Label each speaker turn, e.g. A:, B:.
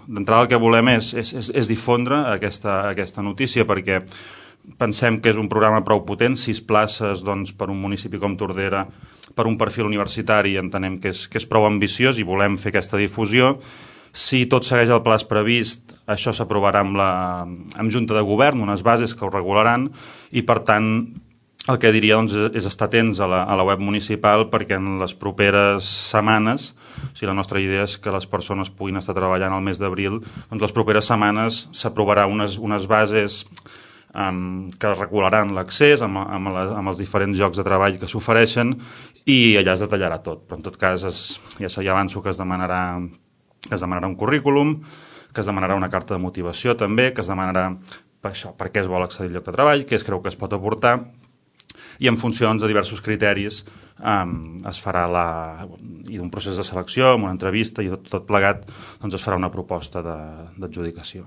A: d'entrada el que volem és difondre aquesta notícia, perquè pensem que és un programa prou potent, 6 places doncs, per un municipi com Tordera, per un perfil universitari, entenem que és prou ambiciós i volem fer aquesta difusió. Si tot segueix el pla previst, això s'aprovarà amb Junta de Govern, unes bases que ho regularan, i per tant el que diria doncs, és estar atents a la web municipal, perquè en les properes setmanes, la nostra idea és que les persones puguin estar treballant al mes d'abril, doncs les properes setmanes s'aprovarà unes bases que regularan l'accés amb els diferents llocs de treball que s'ofereixen, i allà es detallarà tot. Però en tot cas ja avanço que es demanarà un currículum, que es demanarà una carta de motivació també, que es demanarà per què es vol accedir al lloc de treball, què es creu que es pot aportar, i en funció de diversos criteris es farà i d'un procés de selecció, amb una entrevista i tot plegat, doncs es farà una proposta d'adjudicació.